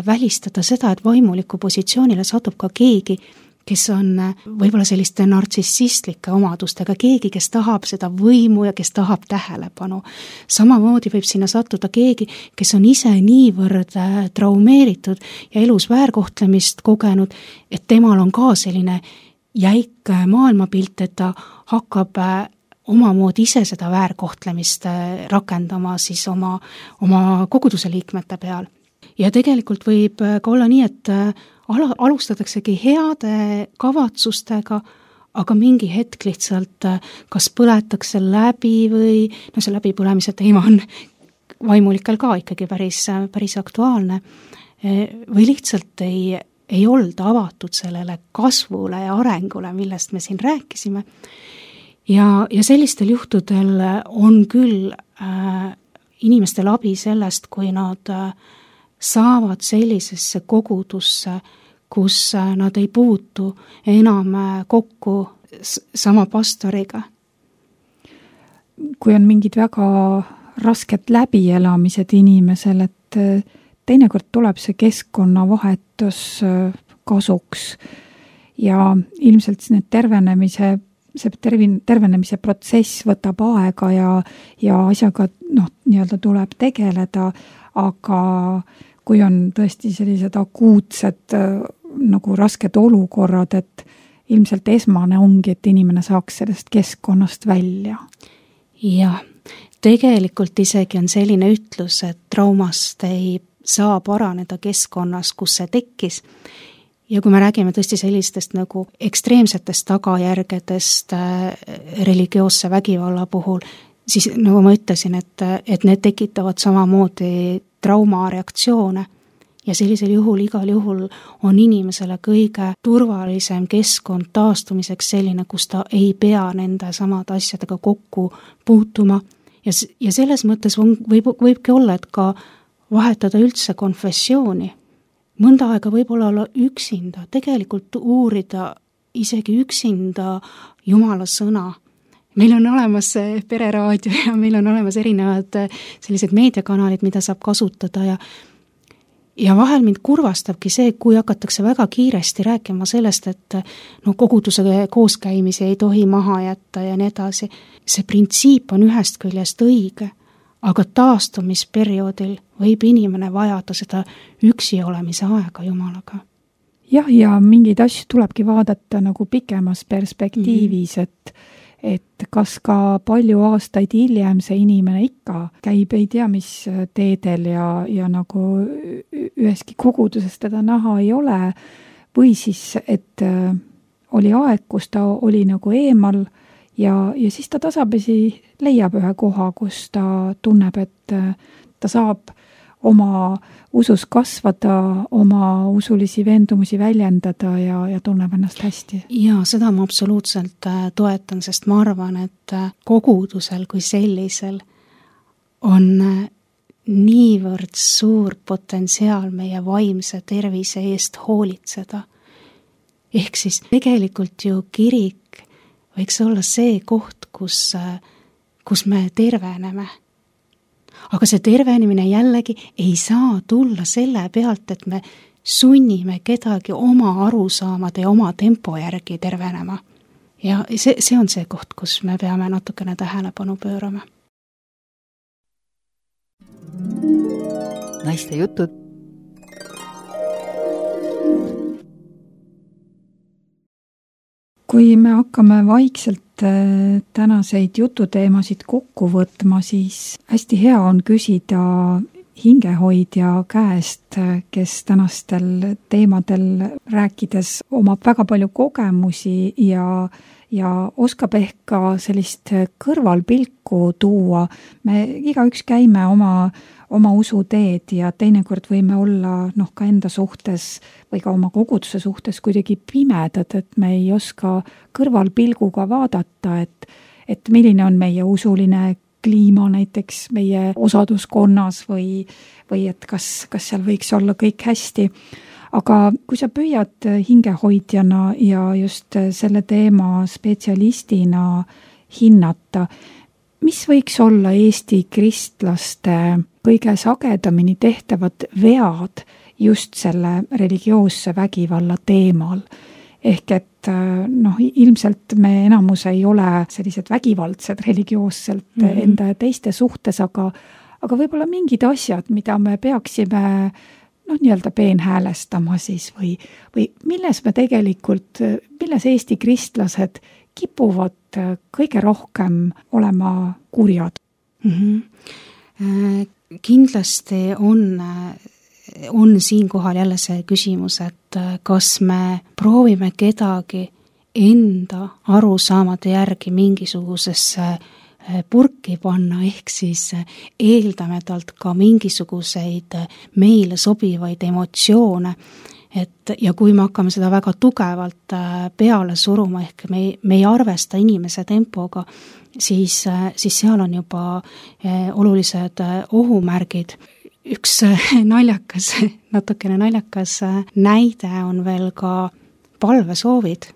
välistada seda, et vaimuliku positsioonile satub ka keegi, kes on võib-olla selliste nartsissistlike omadustega, keegi, kes tahab seda võimu ja kes tahab tähelepanu. Samamoodi võib sinna sattuda keegi, kes on ise niivõrd traumeeritud ja elus väärkohtlemist kogenud, et temal on ka selline jäik maailmapilt, et ta hakkab omamoodi ise seda väärkohtlemist rakendama siis oma, oma koguduse liikmete peal. Ja tegelikult võib ka olla nii, et alustataksegi heade kavatsustega, aga mingi hetk lihtsalt kas põletakse läbi või no see läbipõlemise teema on vaimulikel ka ikkagi päris, päris aktuaalne või lihtsalt ei, ei olda avatud sellele kasvule ja arengule, millest me siin rääkisime. Ja, ja sellistel juhtudel on küll äh, inimestel abi sellest, kui nad äh, saavad sellisesse kogudusse, kus nad ei puutu enam kokku sama pastoriga. Kui on mingid väga rasked läbielamised inimesel, et teinekord tuleb see keskkonnavahetus kasuks ja ilmselt need tervenemise, see tervin, tervenemise protsess võtab aega ja, ja asjaga noh, nii-öelda tuleb tegeleda, aga kui on tõesti sellised akuutsed nagu rasked olukorrad, et ilmselt esmane ongi, et inimene saaks sellest keskkonnast välja. Jah, tegelikult isegi on selline ütlus, et traumast ei saa paraneda keskkonnas, kus see tekkis. Ja kui me räägime tõesti sellistest nagu ekstreemsetest tagajärgedest religioosse vägivalla puhul, siis nagu ma ütlesin, et, et need tekitavad samamoodi traumareaktsioone ja sellisel juhul igal juhul on inimesele kõige turvalisem keskkond taastumiseks selline, kus ta ei pea nende samade asjadega kokku puutuma ja, ja selles mõttes on, võib, võibki olla, et ka vahetada üldse konfessiooni. Mõnda aega võib olla üksinda, tegelikult uurida isegi üksinda Jumala sõna. Meil on olemas pereraadio ja meil on olemas erinevad sellised meediakanalid, mida saab kasutada ja ja vahel mind kurvastabki see, kui hakatakse väga kiiresti rääkima sellest, et no koguduse kooskäimisi ei tohi maha jätta ja nii edasi. See printsiip on ühest küljest õige, aga taastumisperioodil võib inimene vajada seda üksi olemise aega Jumalaga. Jah, ja mingeid asju tulebki vaadata nagu pikemas perspektiivis, mm-hmm. et et kas ka palju aastaid hiljem see inimene ikka käib, ei tea, mis teedel ja, ja nagu üheski koguduses teda näha ei ole, või siis, et oli aeg, kus ta oli nagu eemal ja, ja siis ta tasapisi leiab ühe koha, kus ta tunneb, et ta saab oma usus kasvada, oma usulisi veendumusi väljendada ja, ja tunneb ennast hästi. Ja seda ma absoluutselt toetan, sest ma arvan, et kogudusel kui sellisel on niivõrd suur potentsiaal meie vaimse tervise eest hoolitseda. Ehk siis tegelikult ju kirik võiks olla see koht, kus, kus me terveneme. Aga see tervenemine jällegi ei saa tulla selle pealt, et me sunnime kedagi oma arusaamade ja oma tempo järgi tervenema. Ja see, see on see koht, kus me peame natukene tähelepanu pöörama. Naiste jutud. Kui me hakkame vaikselt tänaseid jututeemasid kokku võtma, siis hästi hea on küsida hingehoidja käest, kes tänastel teemadel rääkides omab väga palju kogemusi ja ja oskab ehk ka sellist kõrvalpilku tuua. Me igaüks käime oma, oma usuteed ja teinekord võime olla noh, ka enda suhtes või ka oma koguduse suhtes kuidagi pimedad, et me ei oska kõrvalpilguga vaadata, et, et milline on meie usuline kliima näiteks meie osaduskonnas või, või et kas, kas seal võiks olla kõik hästi. Aga kui sa püüad hingehoidjana ja just selle teema spetsialistina hinnata, mis võiks olla Eesti kristlaste kõige sagedamini tehtavad vead just selle religioosse vägivalla teemal? Ehk et noh, ilmselt me enamus ei ole sellised vägivaldsed religioosselt mm-hmm. enda ja teiste suhtes, aga, aga võib-olla mingid asjad, mida me peaksime noh, nii-öelda peenhäälestama siis või, või milles me tegelikult, milles Eesti kristlased kipuvad kõige rohkem olema kurjad? Mm-hmm. Kindlasti on, on siinkohal jälle see küsimus, et kas me proovime kedagi enda arusaamade järgi mingisugusesse purki panna, ehk siis eeldame talt ka mingisuguseid meile sobivaid emotsioone, et ja kui me hakkame seda väga tugevalt peale suruma, ehk me, me ei arvesta inimese tempoga, siis, siis seal on juba olulised ohumärgid. Üks naljakas, natukene naljakas näide on veel ka palvesoovid.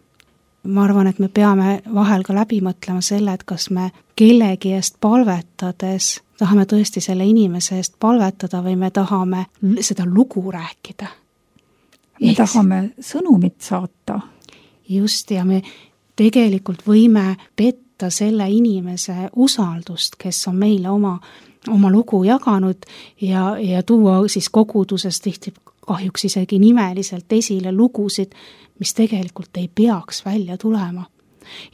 Ma arvan, et me peame vahel ka läbi mõtlema selle, et kas me kellegi eest palvetades tahame tõesti selle inimese eest palvetada või me tahame seda lugu rääkida. Me Eks, tahame sõnumit saata. Just, ja me tegelikult võime petta selle inimese usaldust, kes on meile oma, oma lugu jaganud ja, ja tuua siis koguduses tihti kahjuks isegi nimeliselt esile lugusid, mis tegelikult ei peaks välja tulema.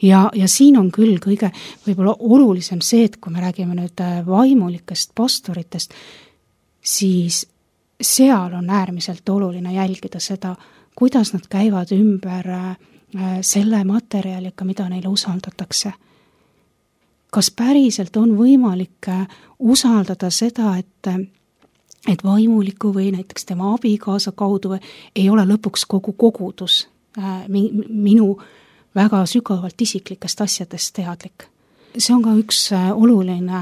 Ja, ja siin on küll kõige võib-olla olulisem see, et kui me räägime nüüd vaimulikest pastoritest, siis seal on äärmiselt oluline jälgida seda, kuidas nad käivad ümber selle materjaliga, mida neile usaldatakse. Kas päriselt on võimalik usaldada seda, et et vaimuliku või näiteks tema abikaasa kaudu ei ole lõpuks kogu kogudus minu väga sügavalt isiklikest asjadest teadlik. See on ka üks oluline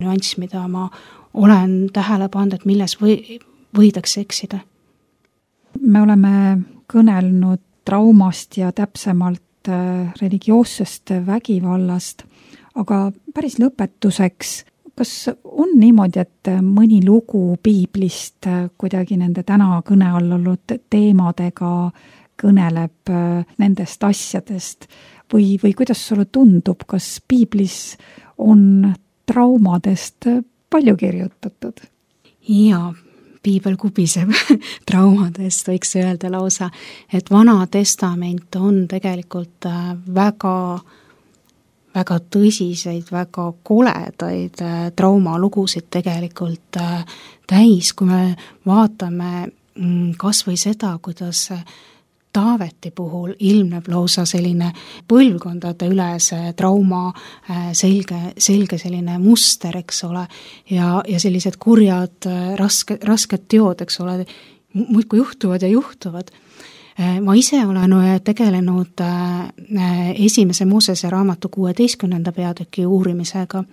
nüanss, mida ma olen tähele pannud, et milles või, võidakse eksida. Me oleme kõnelnud traumast ja täpsemalt religioossest vägivallast, aga päris lõpetuseks, kas on niimoodi, et mõni lugu piiblist kuidagi nende täna kõne all olnud teemadega kõneleb nendest asjadest või, või kuidas sulle tundub, kas piiblis on traumadest palju kirjutatud? Jaa, piibel kubiseb traumadest, võiks öelda lausa, et Vana Testament on tegelikult väga väga tõsiseid, väga koledaid traumalugusid tegelikult täis, kui me vaatame kas või seda, kuidas Taaveti puhul ilmneb lausa selline põlvkondade ülese trauma selge, selge selline muster, eks ole, ja, ja sellised kurjad, raske, rasked teod, eks ole, muidku juhtuvad ja juhtuvad. Ma ise olen tegelenud esimese Moosese raamatu kuueteistkümnenda peatüki uurimisega,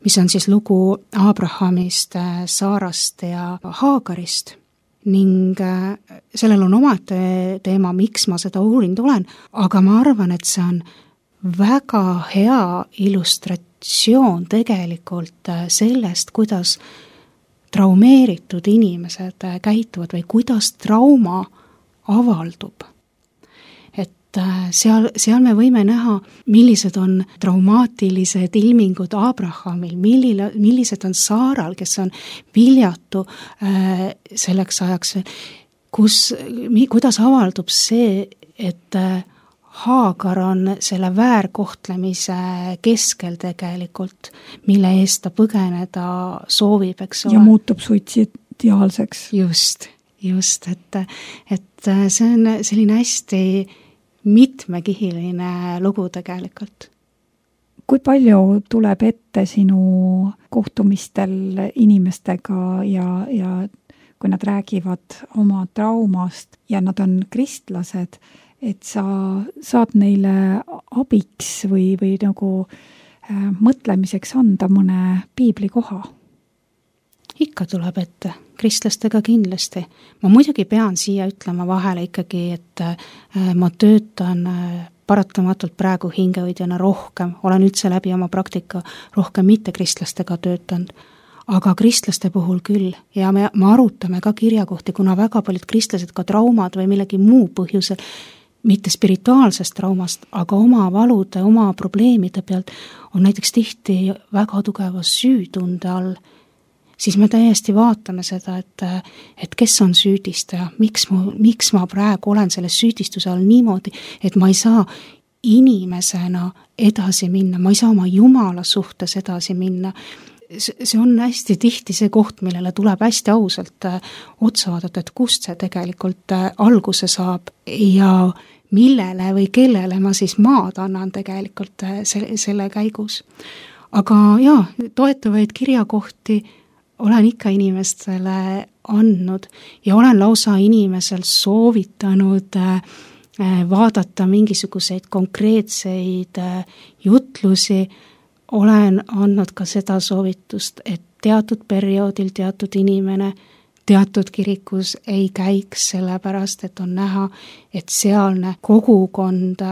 mis on siis lugu Abrahamist, Saarast ja Haagarist. Ning sellel on omate teema, miks ma seda uurinud olen, aga ma arvan, et see on väga hea illustratsioon tegelikult sellest, kuidas traumeeritud inimesed käituvad või kuidas trauma avaldub. Et seal, seal me võime näha, millised on traumaatilised ilmingud Abrahamil, millile, millised on Saaral, kes on viljatu äh, selleks ajaks, kus, kuidas avaldub see, et äh, Haagar on selle väärkohtlemise keskel tegelikult, mille eest ta põgeneda soovib, eks ole. Ja muutub suitsid, ideaalseks. Just, just, et, et see on selline hästi mitmekihiline lugu tegelikult. Kui palju tuleb ette sinu kohtumistel inimestega ja, ja kui nad räägivad oma traumast ja nad on kristlased, et sa saad neile abiks või, või nagu äh, mõtlemiseks anda mõne piibli koha? Ikka tuleb ette, kristlastega kindlasti. Ma muidugi pean siia ütlema vahele ikkagi, et äh, ma töötan äh, paratamatult praegu hingehoidjana rohkem, olen üldse läbi oma praktika rohkem mitte kristlastega töötanud, aga kristlaste puhul küll ja me, me arutame ka kirjakohti, kuna väga paljud kristlased ka traumad või millegi muu põhjusel, mitte spirituaalsest traumast, aga oma valude, oma probleemide pealt on näiteks tihti väga tugeva süütunde all, siis me täiesti vaatame seda, et, et kes on süüdistaja, miks ma, miks ma praegu olen selle süüdistuse all niimoodi, et ma ei saa inimesena edasi minna, ma ei saa oma Jumala suhtes edasi minna. See on hästi tihti see koht, millele tuleb hästi ausalt otsa vaadata, et kust see tegelikult alguse saab ja millele või kellele ma siis maad annan tegelikult selle, selle käigus. Aga jaa, toetavaid kirjakohti olen ikka inimestele andnud ja olen lausa inimesel soovitanud vaadata mingisuguseid konkreetseid jutlusi, olen andnud ka seda soovitust, et teatud perioodil teatud inimene teatud kirikus ei käiks sellepärast, et on näha, et sealne kogukond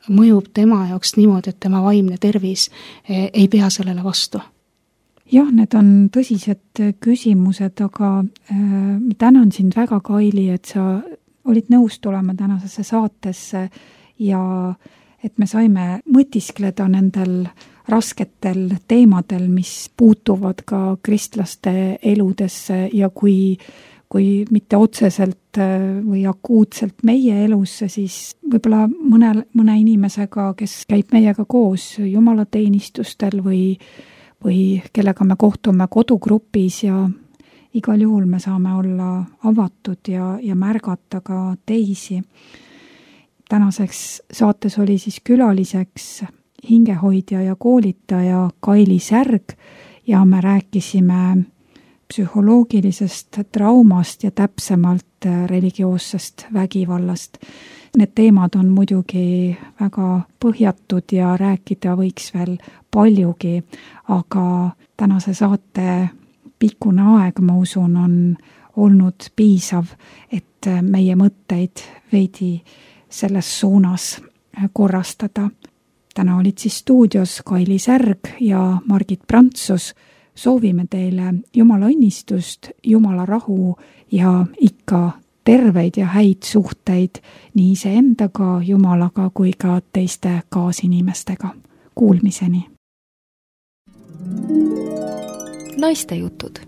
mõjub tema jaoks niimoodi, et tema vaimne tervis ei pea sellele vastu. Jah, need on tõsised küsimused, aga äh, tänan sind väga, Kaili, et sa olid nõus tulema tänasesse saatesse ja et me saime mõtiskleda nendel rasketel teemadel, mis puutuvad ka kristlaste eludesse ja kui, kui mitte otseselt või akuutselt meie elusse, siis võib-olla mõne, mõne inimesega, kes käib meiega koos jumalateenistustel või või kellega me kohtume kodugrupis ja igal juhul me saame olla avatud ja, ja märgata ka teisi. Tänaseks saates oli siis külaliseks hingehoidja ja koolitaja Kaili Särg ja me rääkisime psühholoogilisest traumast ja täpsemalt religioossest vägivallast. Need teemad on muidugi väga põhjatud ja rääkida võiks veel paljugi, aga tänase saate pikkune aeg, ma usun, on olnud piisav, et meie mõtteid veidi selles suunas korrastada. Täna olid siis stuudios Kaili Särg ja Margit Prantsus. Soovime teile Jumala õnnistust, Jumala rahu ja ikka terveid ja häid suhteid nii iseendaga, Jumalaga kui ka teiste kaasinimestega. Kuulmiseni! Naiste jutud.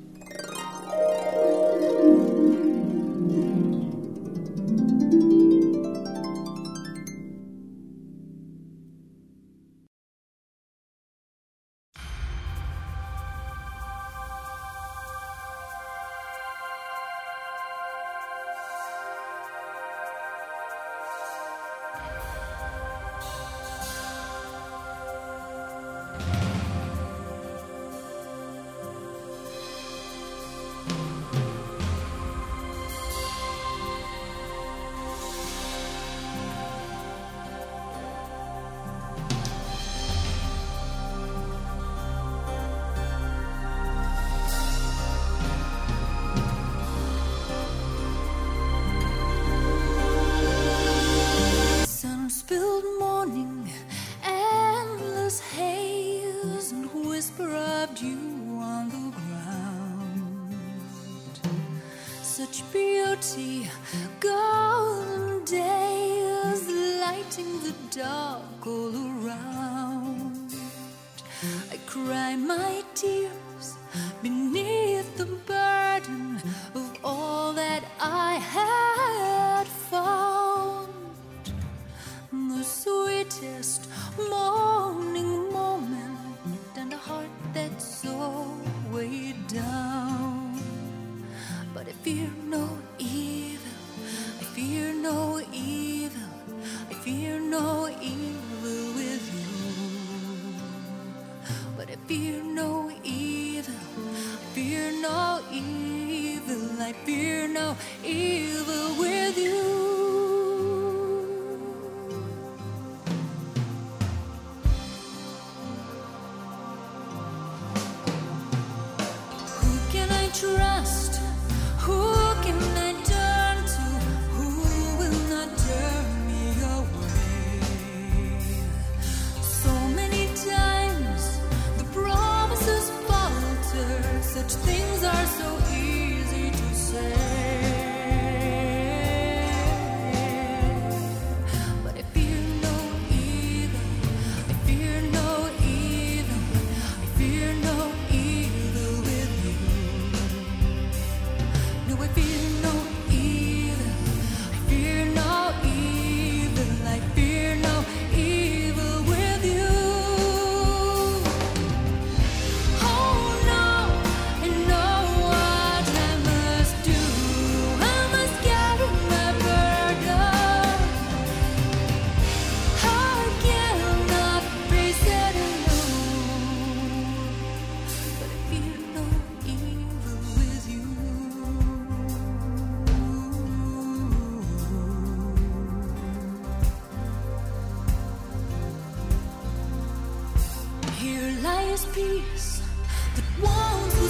Spilled morning, endless haze, and whisper of dew on the ground. Such beauty, golden days, lighting the dark all around. I cry my tears beneath the burden of all that I had found. The sweetest morning moment and a heart that's so weighed down. I fear no evil, fear no evil, I fear no evil with you. Trust, who can I turn to, who will not turn me away? So many times the promises falter, such things are so easy to say. But I fear no evil, I fear no evil, I fear no evil with you. No, I fear no evil, I fear no evil, I fear no evil with you. Oh no, I know what I must do, I must carry my burden. I cannot face it alone, but I fear no evil with you. Here lies peace that once